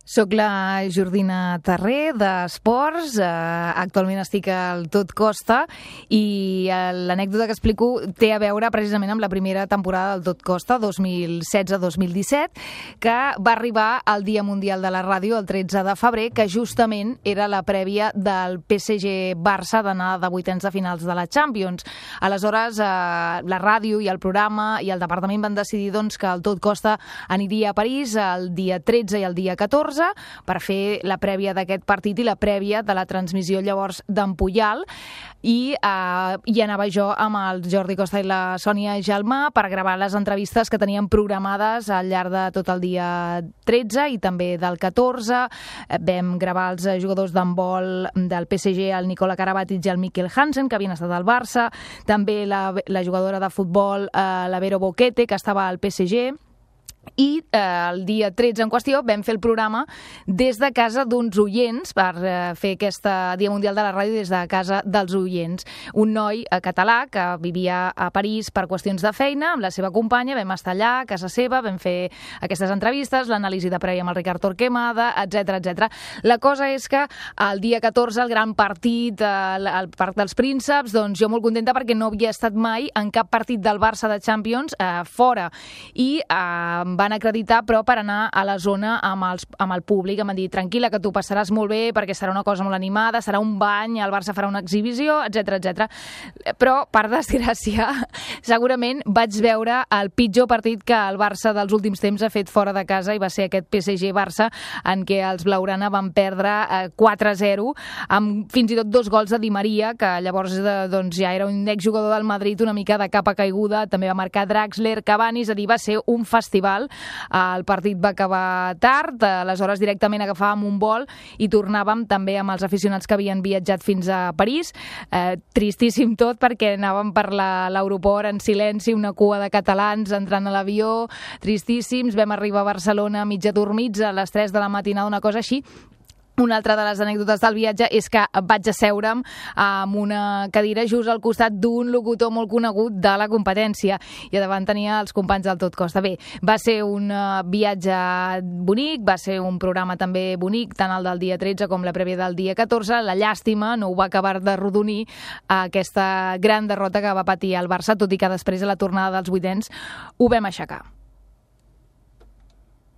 Soc la Jordina Terré, d'Esports. Actualment estic al Tot Costa i l'anècdota que explico té a veure precisament amb la primera temporada del Tot Costa, 2016-2017, que va arribar al Dia Mundial de la Ràdio el 13 de febrer, que justament era la prèvia del PSG-Barça d'anar de vuitens de finals de la Champions. Aleshores, la ràdio i el programa i el departament van decidir que el Tot Costa aniria a París el dia 13 i el dia 14 per fer la prèvia d'aquest partit i la prèvia de la transmissió llavors d'en Puyal, i anava jo amb el Jordi Costa i la Sònia Gelmà per gravar les entrevistes que teníem programades al llarg de tot el dia 13 i també del 14. Vam gravar els jugadors d'handbol del PSG, el Nicola Karabatic i el Mikkel Hansen, que havien estat al Barça, també la jugadora de futbol, la Vero Boquete, que estava al PSG. I el dia 13 en qüestió vam fer el programa des de casa d'uns oients, per fer aquest Dia Mundial de la Ràdio des de casa dels oients. Un noi català que vivia a París per qüestions de feina amb la seva companya, vam estar allà a casa seva, vam fer aquestes entrevistes, l'anàlisi de prèvia amb el Ricard Torquemada, etc. La cosa és que el dia 14, el gran partit al Parc dels Prínceps, doncs jo molt contenta perquè no havia estat mai en cap partit del Barça de Champions fora, i van acreditar, però per anar a la zona amb el públic. Em van dir, tranquil·la, que t'ho passaràs molt bé perquè serà una cosa molt animada, serà un bany, el Barça farà una exhibició, etc. Però, per desgràcia, segurament vaig veure el pitjor partit que el Barça dels últims temps ha fet fora de casa, i va ser aquest PSG-Barça, en què els blaugrana van perdre 4-0, amb fins i tot 2 gols de Di Maria, que llavors ja era un exjugador del Madrid una mica de capa caiguda, també va marcar Draxler, Cavani, és a dir, va ser un festival. El partit va acabar tard, aleshores directament agafàvem un vol i tornàvem també amb els aficionats que havien viatjat fins a París. Tristíssim tot, perquè anàvem per l'aeroport en silenci, una cua de catalans entrant a l'avió, tristíssims. Vam arribar a Barcelona mig adormits a les 3 de la matinada, una cosa així. Una altra de les anècdotes del viatge és que vaig asseure'm amb una cadira just al costat d'un locutor molt conegut de la competència, i a davant tenia els companys del Tot Costa. Bé, va ser un viatge bonic, va ser un programa també bonic, tant el del dia 13 com la prèvia del dia 14. La llàstima no ho va acabar de rodonir aquesta gran derrota que va patir el Barça, tot i que després a la tornada dels vuitens ho vam aixecar.